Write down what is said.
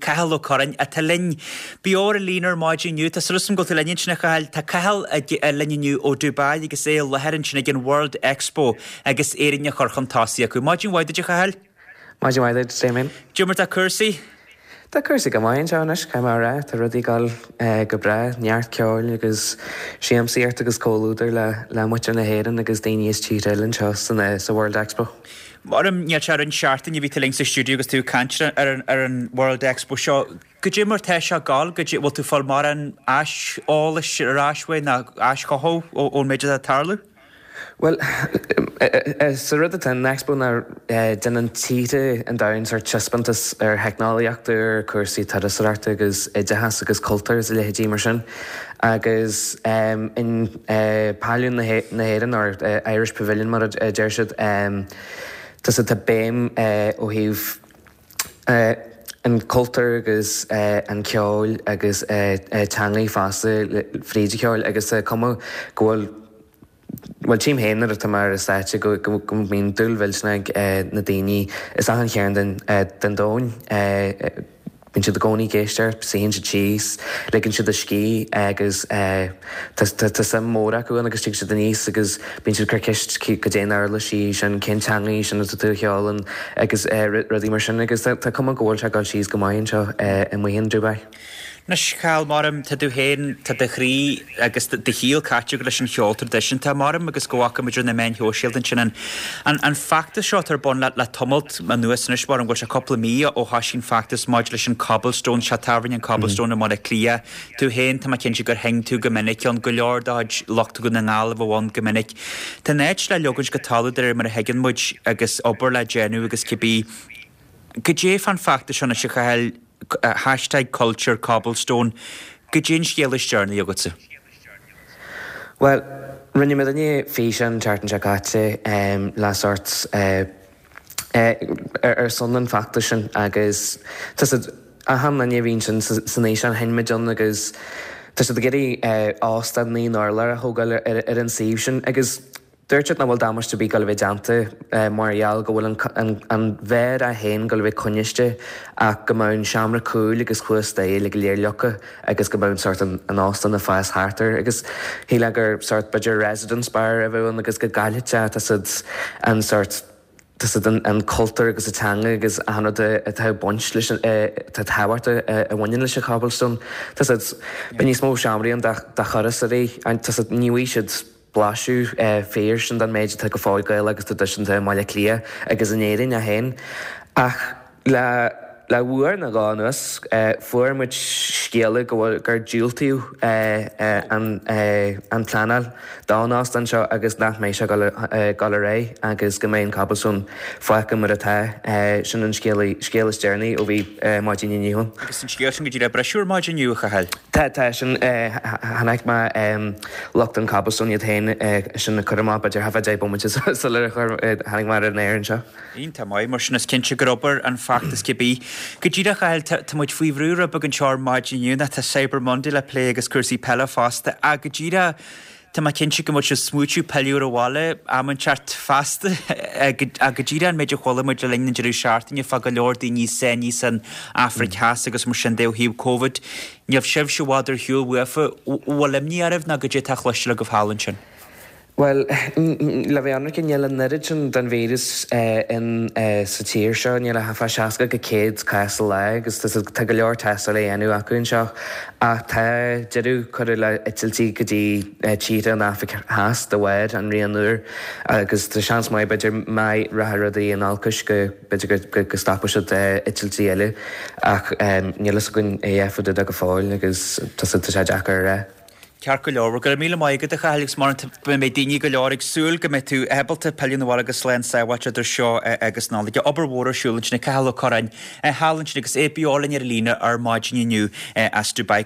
Cathal Ó Curráin, atá linn beo ar an líne ar maidin inniu. Tá súil agam go bhfuil tú linn ansin, a Chathail. Tá Cathal linn inniu ó Dubai agus é i láthair ansin ag an World Expo agus Éirinn á chur chun tosaigh acu. Maidin mhaith duit, a Chathail. Maidin mhaith duit, Damien. Cad é mar tá cúrsaí? Tá cúrsaí go maith anseo anois, caithfidh mé a rá. Tá rudaí ag dul go breá, neart ceoil agus siamsaíocht agus comhluadar le muintir na hÉireann agus daoine as tíortha eile anseo sa World Expo. Maram, níl sé roinnt seachtaine a bhí tú linn sa stiúideo agus tú ag caint ar an World Expo seo. Goidé mar tá sé ag gabháil, goidé, bhfuil tú ag fáil mórán aiseolais ar ais uaidh nó aischothú ón méid atá ag tarlú? Bhuel, sa rud atá in Expo ná déanann tíortha an domhain sórt taispeántas ar theicneolaíocht, ar cúrsaí turasóireachta agus oideachas agus cultúr is a leithéidí mar sin. Agus in Pailliún na hÉireann, or Irish Pavilion mar a deir siad, tá béim ó thaobh an cultúr agus an ceoil agus teangaí fosta fríd an cheoil agus tá cuma go bhfuil Bhuel, tchím féin nuair atá mé ar an stáitse go mbíonn dúil mhillteanach ag na daoine as achan chearn den domhan. Bíonn siad i gcónaí ag éisteacht, suíonn siad síos, ligeann siad a scíth agus tá suim mhór acu ann agus tig siad aníos agus bíonn siad ag cur ceist goidé an uirlis í sin, cén teanga í sin atá tú a cheol ann agus rudaí mar sin agus tá cuma go bhfuil sé ag dul síos go maith anseo amuigh in Dubai. Anois, a Chathail, maram, tá tú féin, tá do chroí agus do shaol caite agat leis an cheol traidisiúnta, maram, agus go bhfaca muid ar na meáin shóisialta ansin an, an, an feachtas seo atá ar bun le, le tamalt anuas anois, maram, go bhfuil sé cúpla mí ó thoisigh an feachtas maidir leis an Cobblestone, seo tábhairne an Cobblestone i mBaile Átha Cliath. Tú féin, tá mé cinnte gur sheinn tú go minic ann, go leor de chuid lucht Dhún na nGall a bheadh ann go minic. Tá an áit le leogaint go talamh de réir mar a thuigeann muid agus obair le déanamh agus cibé. Goidé fán feachtas seo anois, a Chathail? Hashtag culture cobblestone. Goidé an scéal is deireanaí agatsa? Bhuel, rinne muidinne físeán an tseachtain seo caite le sórt ar son an feachtais sin agus tá siad, achan duine a bhí ansin san fhíseán, sheinn muid ann agus tá siad ag iarraidh óstán 9 n-urlár a thógáil ar an suíomh sin agus Dúirt siad nach bhfuil damáiste ar bith ag dul a bheith déanta mar gheall go bhfuil an bheár é féin ag dul a bheith coinniste ach go mbeadh an seomra cúil agus thuas staighre uilig go léir leagtha agus go mbeadh sórt an óstán ag fás thart air agus shílfeá gur sórt b'fhéidir residence bar a bheadh ann agus go gcaillfeadh sé tá siad an sórt tá siad an cultúr agus an teanga agus achan rud atá ag baint leis an atá tábhacht a bhaineann leis an Cobblestone tá siad beidh níos mó seomraí ann do thurasóirí tá siad ní bhfaighidh siad blaiseadh fíor sin den méid atá go fóill Gaelach agus traidisiúnta i mBaile Átha Cliath agus in Éirinn é féin. Ach le le uair nó dhó anuas, fuair muid scéala go bhfuil gur diúltaíodh an an pleanáil don óstán seo agus nach mbeidh sé ag dul ar aghaidh agus go mbeidh an Cobblestone fágtha mar atá. Sin an scéal scéal is deireanaí ó bhí maidin inniu ann. Agus an scéal sin go díreach briseadh ar maidin inniu, a Chathail? Tá, tá, sin, chonaic mé lucht an Cobblestone iad féin sin a cur amach b'fhéidir thart fá 10 bomaite sular tháinig mé ar an aer anseo. Iontach maith, mar sin is cinnte gur obair an feachtas cibé. Go díreach, a Chathail, tá muid faoi bhrú rud beag anseo ar maidin inniu, nó tá Cyber Monday le plé agus cúrsaí peile fosta, ach go díreach, Tá mé cinnte go mbeidh sibh ag smaoitiú pilleadh ar an bhaile am inteacht feasta ach go díreach an méid a chuala muid le linn an deireadh seachtaine fá go leor daoine sáinnithe san Afraic Theas agus mar sin de ó thaobh Covid. Níl sibhse i bhfad ar shiúl uafa. Bhfuil imní oraibh nó goidé atá cloisteáil agaibh thall ansin? Bhuel, le bheith ionraic, níl an oiread sin den víreas in sa tír seo, níl ach fá 60 go 100 cás sa lá agus tá go leor tástáil á dhéanamh acu anseo. Ach tá deireadh curtha le eitiltí go dtí tíortha an Afraic Theas de bharr an rian úr agus tá seans maith b'fhéidir má rachaidh rudaí in olcais go b'fhéidir go stopfaidh siad eitiltí eile ach níl fhios againn a dhath fá dtaobh de go fóill agus tá sé deacair a rá. Ceart go leor. Bhuel, go raibh míle maith agat, a Chathail, agus mar beidh daoine go leor ag súil go mbeidh tú ábalta pilleadh na bhaile go slán sábháilte idir seo agus Nollaig. Obair mhór ar siúl ansin ag Cathal Ó Curráin thall ansin agus é beo linn ar an líne ar maidin inniu as Dubai.